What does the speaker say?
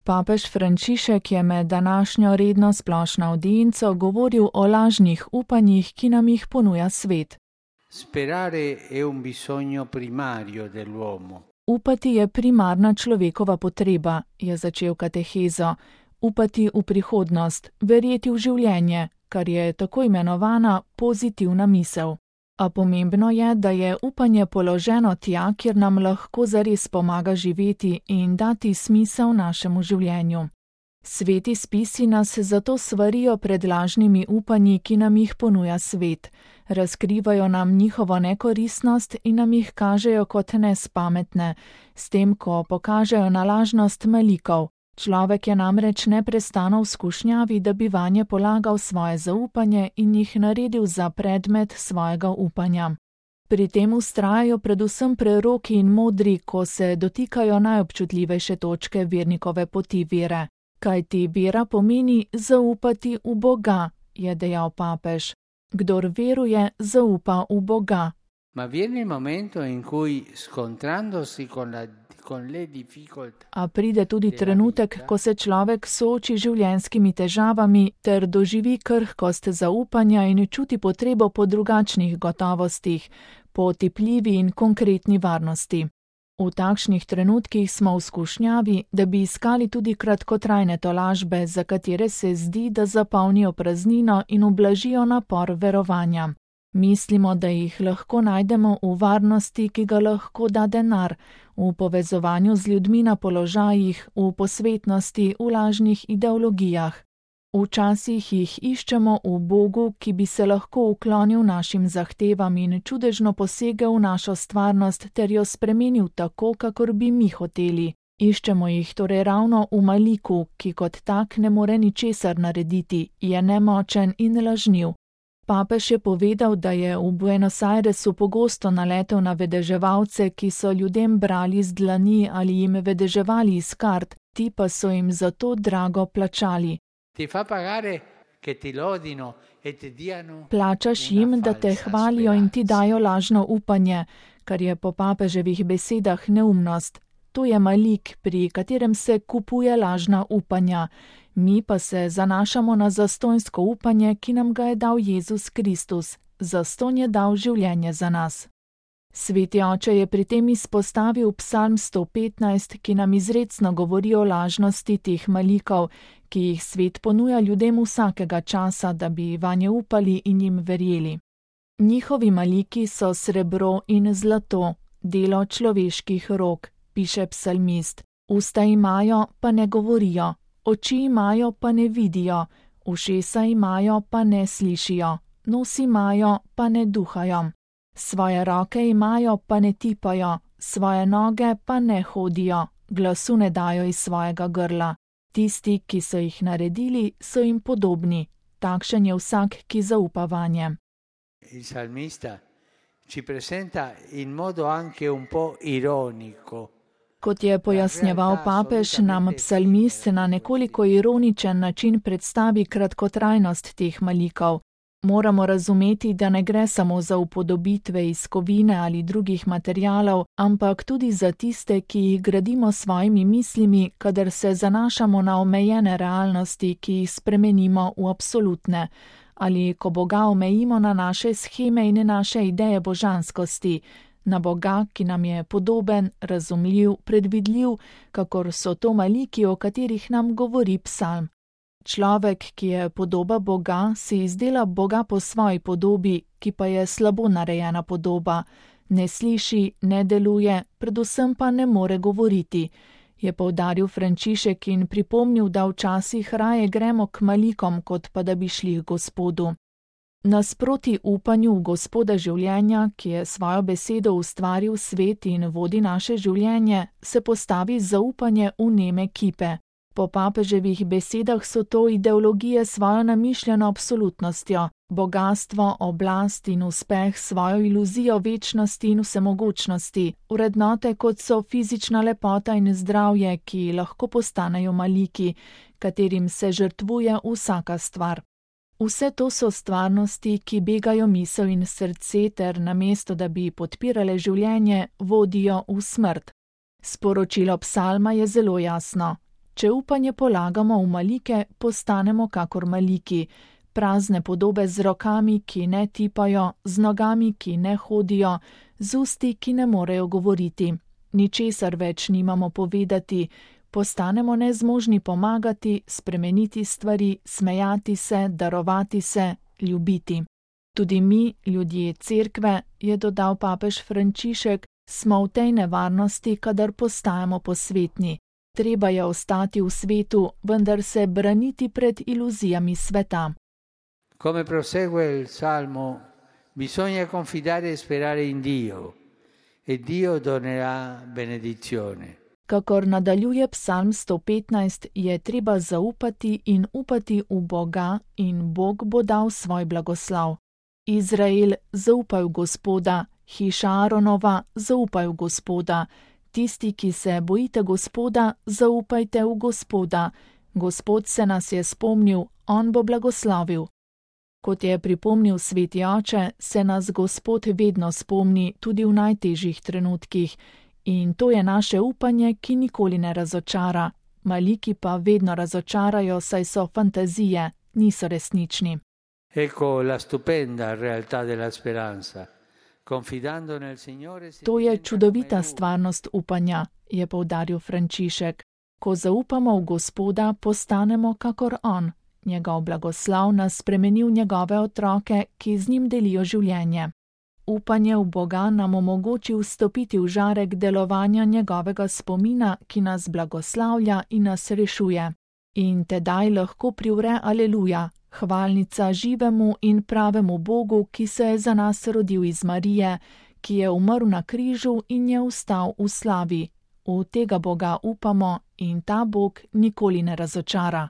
Papež Frančišek je med današnjo redno splošno avdienco govoril o lažnih upanjih, ki nam jih ponuja svet. Sperare è un bisogno primario dell'uomo. Upati je primarna človekova potreba, je začel katehezo. Upati v prihodnost, verjeti v življenje, kar je tako imenovana pozitivna misel. A pomembno je, da je upanje položeno tja, kjer nam lahko zares pomaga živeti in dati smisel našemu življenju. Sveti spisi nas zato svarijo pred lažnimi upanji, ki nam jih ponuja svet. Razkrivajo nam njihovo nekoristnost in nam jih kažejo kot nespametne, s tem, ko pokažejo na lažnost malikov. Človek je namreč neprestano v skušnjavi, da bi vanje polagal svoje zaupanje in jih naredil za predmet svojega upanja. Pri tem vztrajajo predvsem preroki in modri, ko se dotikajo najobčutljivejše točke vernikove poti vere. Kajti vera pomeni zaupati v Boga, je dejal papež. Kdor veruje, zaupa v Boga. Ma viene il momento in cui, scontrandosi con le difficoltà. A pride tudi trenutek, ko se človek sooči življenjskimi težavami ter doživi krhkost zaupanja in čuti potrebo po drugačnih gotovostih, po otipljivi in konkretni varnosti. V takšnih trenutkih smo v skušnjavi, da bi iskali tudi kratkotrajne tolažbe, za katere se zdi, da zapolnijo praznino in ublažijo napor verovanja. Mislimo, da jih lahko najdemo v varnosti, ki ga lahko da denar, v povezovanju z ljudmi na položajih, v posvetnosti, v lažnih ideologijah. Včasih jih iščemo v Bogu, ki bi se lahko uklonil našim zahtevam in čudežno posegel v našo stvarnost ter jo spremenil tako, kakor bi mi hoteli. Iščemo jih torej ravno v maliku, ki kot tak ne more ničesar narediti, je nemočen in lažniv. Papež je povedal, da je v Buenos Airesu pogosto naletel na vedeževalce, ki so ljudem brali z dlani ali jim vedeževali iz kart, ti pa so jim zato drago plačali. Plačaš jim, da te hvalijo in ti dajo lažno upanje, kar je po papeževih besedah neumnost. To je malik, pri katerem se kupuje lažna upanja. Mi pa se zanašamo na zastonjsko upanje, ki nam ga je dal Jezus Kristus. Zastonj je dal življenje za nas. Sveti oče je pri tem izpostavil Psalm 115, ki nam izrecno govori o lažnosti teh malikov, ki jih svet ponuja ljudem vsakega časa, da bi vanje upali in jim verjeli. Njihovi maliki so srebro in zlato, delo človeških rok, piše psalmist. Usta imajo, pa ne govorijo, oči imajo, pa ne vidijo, ušesa imajo, pa ne slišijo, nos imajo, pa ne duhajo. Svoje roke imajo, pa ne tipajo, svoje noge pa ne hodijo, glasu ne dajo iz svojega grla. Tisti, ki so jih naredili, so jim podobni. Takšen je vsak, ki zaupa vanje. Il salmista ci presenta in modo anche un po' ironico. Kot je pojasnjeval papež, nam psalmist na nekoliko ironičen način predstavi kratkotrajnost teh malikov. Moramo razumeti, da ne gre samo za upodobitve iz kovine ali drugih materialov, ampak tudi za tiste, ki jih gradimo s svojimi mislimi, kadar se zanašamo na omejene realnosti, ki jih spremenimo v absolutne, ali ko Boga omejimo na naše sheme in naše ideje božanskosti, na Boga, ki nam je podoben, razumljiv, predvidljiv, kakor so to maliki, o katerih nam govori psalm. Človek, ki je podoba Boga, si izdela Boga po svoji podobi, ki pa je slabo narejena podoba. Ne sliši, ne deluje, predvsem pa ne more govoriti, je poudaril Frančišek in pripomnil, da včasih raje gremo k malikom, kot pa da bi šli k Gospodu. Nasproti upanju v Gospoda življenja, ki je svojo besedo ustvaril svet in vodi naše življenje, se postavi zaupanje v neme kipe. Po papeževih besedah so to ideologije s svojo namišljeno absolutnostjo, bogastvo, oblast in uspeh s svojo iluzijo večnosti in vsemogočnosti, vrednote kot so fizična lepota in zdravje, ki lahko postanejo maliki, katerim se žrtvuje vsaka stvar. Vse to so stvarnosti, ki begajo misel in srce ter namesto, da bi podpirale življenje, vodijo v smrt. Sporočilo psalma je zelo jasno. Če upanje polagamo v malike, postanemo kakor maliki, prazne podobe z rokami, ki ne tipajo, z nogami, ki ne hodijo, z usti, ki ne morejo govoriti. Ničesar več nimamo povedati, postanemo nezmožni pomagati, spremeniti stvari, smejati se, darovati se, ljubiti. Tudi mi, ljudje cerkve, je dodal papež Frančišek, smo v tej nevarnosti, kadar postajamo posvetni. Treba je ostati v svetu, vendar se braniti pred iluzijami sveta. Come prosegue il Salmo, bisogna confidare e sperare in Dio, e Dio donerà benedizione. Kakor nadaljuje Psalm 115, je treba zaupati in upati v Boga in Bog bo dal svoj blagoslav. Izrael, zaupaj v Gospoda, hiša Aaronova, zaupaj v Gospoda. Tisti, ki se bojite Gospoda, zaupajte v Gospoda. Gospod se nas je spomnil, on bo blagoslavil. Kot je pripomnil sveti oče, se nas Gospod vedno spomni tudi v najtežjih trenutkih. In to je naše upanje, ki nikoli ne razočara. Maliki pa vedno razočarajo, saj so fantazije, niso resnični. Ecco la stupenda realtà della speranza. Confidando nel Signore si To je diventa čudovita come Lui. stvarnost upanja, je poudaril Frančišek. Ko zaupamo v Gospoda, postanemo kakor on. Njegov blagoslav nas spremeni v njegove otroke, ki z njim delijo življenje. Upanje v Boga nam omogoči vstopiti v žarek delovanja njegovega spomina, ki nas blagoslavlja in nas rešuje. In tedaj lahko privre aleluja, hvalnica živemu in pravemu Bogu, ki se je za nas rodil iz Marije, ki je umrl na križu in je vstal v slavi. V tega Boga upamo in ta Bog nikoli ne razočara.